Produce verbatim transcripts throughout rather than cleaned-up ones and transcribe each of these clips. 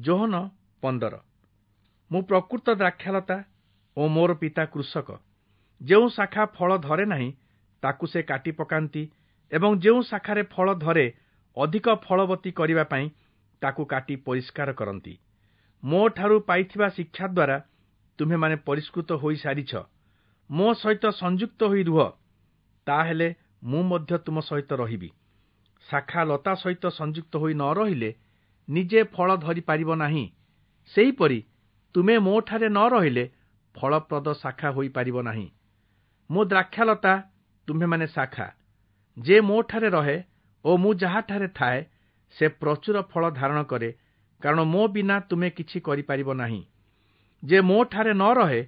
ଯୋହନ ପନ୍ଦର। ମୁଁ ପ୍ରକୃତ ଦ୍ରାକ୍ଷାଲତା ଓ ମୋର ପିତା କୃଷକ। ଯେଉଁ ଶାଖା ଫଳ ଧରେ ନାହିଁ, ତାକୁ ସେ କାଟି ପକାନ୍ତି ଏବଂ ଯେଉଁ ଶାଖାରେ ଫଳ ଧରେ, ଅଧିକ ଫଳବତୀ କରିବା ପାଇଁ ତାକୁ କାଟି ପରିଷ୍କାର କରନ୍ତି। ମୋଠାରୁ ପାଇଥିବା ଶିକ୍ଷା ଦ୍ୱାରା ତୁମ୍ଭେମାନେ ପରିଷ୍କୃତ ହୋଇସାରିଛ। ମୋ ସହିତ ସଂଯୁକ୍ତ ହୋଇ ରୁହ, ତାହେଲେ ମୁଁ ମଧ୍ୟ ତୁମ ସହିତ ରହିବି। ଶାଖା ଲତା ସହିତ ସଂଯୁକ୍ତ ହୋଇ ନ ରହିଲେ ନିଜେ ଫଳ ଧରିପାରିବ ନାହିଁ, ସେହିପରି ତୁମେ ମୋଠାରେ ନ ରହିଲେ ଫଳପ୍ରଦ ଶାଖା ହୋଇପାରିବ ନାହିଁ। ମୁଁ ଦ୍ରାକ୍ଷାଲତା, ତୁମ୍ଭେମାନେ ଶାଖା। ଯେ ମୋଠାରେ ରହେ ଓ ମୁଁ ଯାହାଠାରେ ଥାଏ, ସେ ପ୍ରଚୁର ଫଳ ଧାରଣ କରେ, କାରଣ ମୋ ବିନା ତୁମେ କିଛି କରିପାରିବ ନାହିଁ। ଯେ ମୋଠାରେ ନ ରହେ,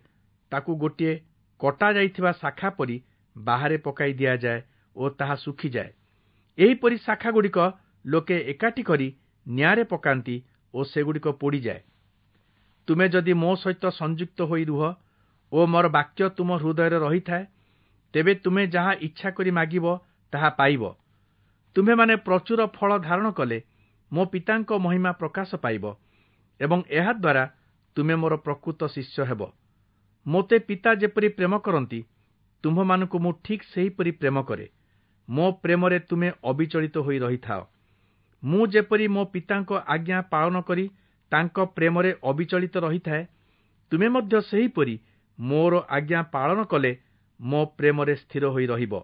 ତାକୁ ଗୋଟିଏ କଟା ଯାଇଥିବା ଶାଖା ପରି ବାହାରେ ପକାଇ ଦିଆଯାଏ ଓ ତାହା ଶୁଖିଯାଏ। ଏହିପରି ଶାଖାଗୁଡ଼ିକ ଲୋକେ ଏକାଠି କରି ନିଆଁରେ ପକାନ୍ତି ଓ ସେଗୁଡ଼ିକ ପୋଡ଼ିଯାଏ। ତୁମେ ଯଦି ମୋ ସହିତ ସଂଯୁକ୍ତ ହୋଇ ରୁହ ଓ ମୋର ବାକ୍ୟ ତୁମ ହୃଦୟରେ ରହିଥାଏ, ତେବେ ତୁମେ ଯାହା ଇଚ୍ଛା କରି ମାଗିବ ତାହା ପାଇବ। ତୁମ୍ଭେମାନେ ପ୍ରଚୁର ଫଳ ଧାରଣ କଲେ ମୋ ପିତାଙ୍କ ମହିମା ପ୍ରକାଶ ପାଇବ ଏବଂ ଏହାଦ୍ୱାରା ତୁମେ ମୋର ପ୍ରକୃତ ଶିଷ୍ୟ ହେବ। ମୋତେ ପିତା ଯେପରି ପ୍ରେମ କରନ୍ତି, ତୁମ୍ଭମାନଙ୍କୁ ମୁଁ ଠିକ୍ ସେହିପରି ପ୍ରେମ କରେ। ମୋ ପ୍ରେମରେ ତୁମେ ଅବିଚଳିତ ହୋଇ ରହିଥାଅ। ମୁଁ ଯେପରି ମୋ ପିତାଙ୍କ ଆଜ୍ଞା ପାଳନ କରି ତାଙ୍କ ପ୍ରେମରେ ଅବିଚଳିତ ରହିଥାଏ, ତୁମେ ମଧ୍ୟ ସେହିପରି ମୋର ଆଜ୍ଞା ପାଳନ କଲେ ମୋ ପ୍ରେମରେ ସ୍ଥିର ହୋଇ ରହିବ।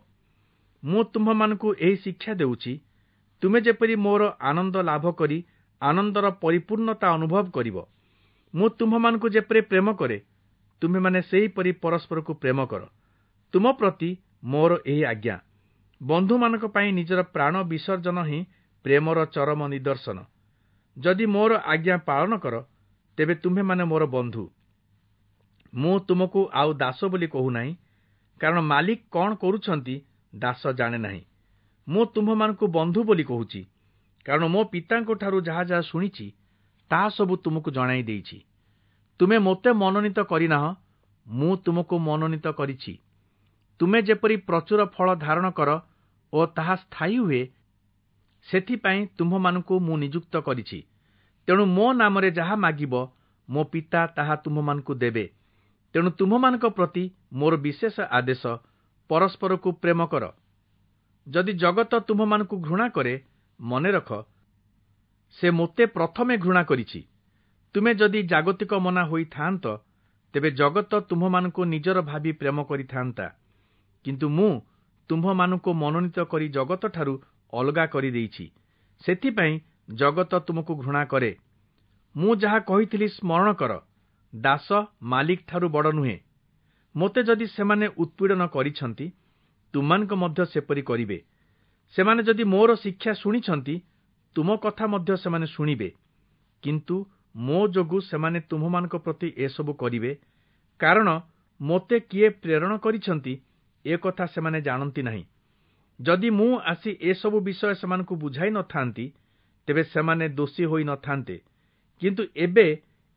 ମୁଁ ତୁମ୍ଭମାନଙ୍କୁ ଏହି ଶିକ୍ଷା ଦେଉଛି, ତୁମେ ଯେପରି ମୋର ଆନନ୍ଦ ଲାଭ କରି ଆନନ୍ଦର ପରିପୂର୍ଣ୍ଣତା ଅନୁଭବ କରିବ। ମୁଁ ତୁମ୍ଭମାନଙ୍କୁ ଯେପରି ପ୍ରେମ କରେ, ତୁମ୍ଭେମାନେ ସେହିପରି ପରସ୍ପରକୁ ପ୍ରେମ କର। ତୁମ ପ୍ରତି ମୋର ଏହି ଆଜ୍ଞା। ବନ୍ଧୁମାନଙ୍କ ପାଇଁ ନିଜର ପ୍ରାଣ ବିସର୍ଜନ ହିଁ ପ୍ରେମର ଚରମ ନିଦର୍ଶନ। ଯଦି ମୋର ଆଜ୍ଞା ପାଳନ କର, ତେବେ ତୁମ୍ଭେମାନେ ମୋର ବନ୍ଧୁ। ମୁଁ ତୁମକୁ ଆଉ ଦାସ ବୋଲି କହୁନାହିଁ, କାରଣ ମାଲିକ କ'ଣ କରୁଛନ୍ତି ଦାସ ଜାଣେ ନାହିଁ। ମୁଁ ତୁମ୍ଭମାନଙ୍କୁ ବନ୍ଧୁ ବୋଲି କହୁଛି, କାରଣ ମୋ ପିତାଙ୍କଠାରୁ ଯାହା ଯାହା ଶୁଣିଛି ତାହା ସବୁ ତୁମକୁ ଜଣାଇ ଦେଇଛି। ତୁମେ ମୋତେ ମନୋନୀତ କରିନାହଁ, ମୁଁ ତୁମକୁ ମନୋନୀତ କରିଛି। ତୁମେ ଯେପରି ପ୍ରଚୁର ଫଳ ଧାରଣ କର ଓ ତାହା ସ୍ଥାୟୀ ହୁଏ, ସେଥିପାଇଁ ତୁମ୍ଭମାନଙ୍କୁ ମୁଁ ନିଯୁକ୍ତ କରିଛି। ତେଣୁ ମୋ ନାମରେ ଯାହା ମାଗିବ, ମୋ ପିତା ତାହା ତୁମ୍ଭମାନଙ୍କୁ ଦେବେ। ତେଣୁ ତୁମ୍ଭମାନଙ୍କ ପ୍ରତି ମୋର ବିଶେଷ ଆଦେଶ, ପରସ୍ପରକୁ ପ୍ରେମ କର। ଯଦି ଜଗତ ତୁମ୍ଭମାନଙ୍କୁ ଘୃଣା କରେ, ମନେ ରଖ, ସେ ମୋତେ ପ୍ରଥମେ ଘୃଣା କରିଛି। ତୁମେ ଯଦି ଜାଗତିକ ମନା ହୋଇଥାନ୍ତ, ତେବେ ଜଗତ ତୁମ୍ଭମାନଙ୍କୁ ନିଜର ଭାବି ପ୍ରେମ କରିଥାନ୍ତା। କିନ୍ତୁ ମୁଁ ତୁମ୍ଭମାନଙ୍କୁ ମନୋନୀତ କରି ଜଗତଠାରୁ ଅଲଗା କରିଦେଇଛି, ସେଥିପାଇଁ ଜଗତ ତୁମକୁ ଘୃଣା କରେ। ମୁଁ ଯାହା କହିଥିଲି ସ୍ମରଣ କର, ଦାସ ମାଲିକଠାରୁ ବଡ଼ ନୁହେଁ। ମୋତେ ଯଦି ସେମାନେ ଉତ୍ପୀଡ଼ନ କରିଛନ୍ତି, ତୁମମାନଙ୍କ ମଧ୍ୟ ସେପରି କରିବେ। ସେମାନେ ଯଦି ମୋର ଶିକ୍ଷା ଶୁଣିଛନ୍ତି, ତୁମ କଥା ମଧ୍ୟ ସେମାନେ ଶୁଣିବେ। କିନ୍ତୁ ମୋ ଯୋଗୁଁ ସେମାନେ ତୁମ୍ଭମାନଙ୍କ ପ୍ରତି ଏସବୁ କରିବେ, କାରଣ ମୋତେ କିଏ ପ୍ରେରଣ କରିଛନ୍ତି ଏ କଥା ସେମାନେ ଜାଣନ୍ତି ନାହିଁ। ଯଦି ମୁଁ ଆସି ଏସବୁ ବିଷୟ ସେମାନଙ୍କୁ ବୁଝାଇ ନଥାନ୍ତି, ତେବେ ସେମାନେ ଦୋଷୀ ହୋଇ ନଥାନ୍ତେ। କିନ୍ତୁ ଏବେ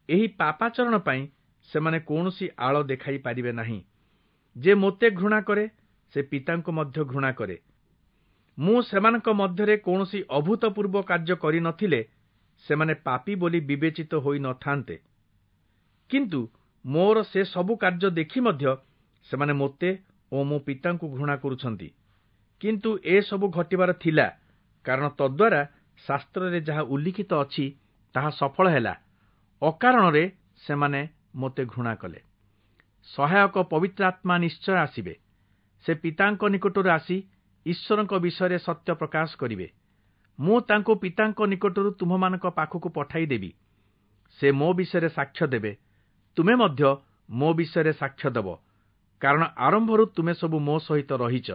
ଏହି ପାପାଚରଣ ପାଇଁ ସେମାନେ କୌଣସି ଆଳ ଦେଖାଇ ପାରିବେ ନାହିଁ। ଯେ ମୋତେ ଘୃଣା କରେ, ସେ ପିତାଙ୍କୁ ମଧ୍ୟ ଘୃଣା କରେ। ମୁଁ ସେମାନଙ୍କ ମଧ୍ୟରେ କୌଣସି ଅଭୂତପୂର୍ବ କାର୍ଯ୍ୟ କରିନଥିଲେ ସେମାନେ ପାପୀ ବୋଲି ବିବେଚିତ ହୋଇ ନଥାନ୍ତେ। କିନ୍ତୁ ମୋର ସେ ସବୁ କାର୍ଯ୍ୟ ଦେଖି ମଧ୍ୟ ସେମାନେ ମୋତେ ଓ ମୋ ପିତାଙ୍କୁ ଘୃଣା କରୁଛନ୍ତି। କିନ୍ତୁ ଏସବୁ ଘଟିବାର ଥିଲା, କାରଣ ତଦ୍ୱାରା ଶାସ୍ତ୍ରରେ ଯାହା ଉଲ୍ଲିଖିତ ଅଛି ତାହା ସଫଳ ହେଲା, ଅକାରଣରେ ସେମାନେ ମୋତେ ଘୃଣା କଲେ। ସହାୟକ ପବିତ୍ର ଆତ୍ମା ନିଶ୍ଚୟ ଆସିବେ। ସେ ପିତାଙ୍କ ନିକଟରୁ ଆସି ଈଶ୍ୱରଙ୍କ ବିଷୟରେ ସତ୍ୟ ପ୍ରକାଶ କରିବେ। ମୁଁ ତାଙ୍କୁ ପିତାଙ୍କ ନିକଟରୁ ତୁମ୍ଭମାନଙ୍କ ପାଖକୁ ପଠାଇଦେବି। ସେ ମୋ ବିଷୟରେ ସାକ୍ଷ୍ୟ ଦେବେ। ତୁମେ ମଧ୍ୟ ମୋ ବିଷୟରେ ସାକ୍ଷ୍ୟ ଦେବ, କାରଣ ଆରମ୍ଭରୁ ତୁମେ ସବୁ ମୋ ସହିତ ରହିଛ।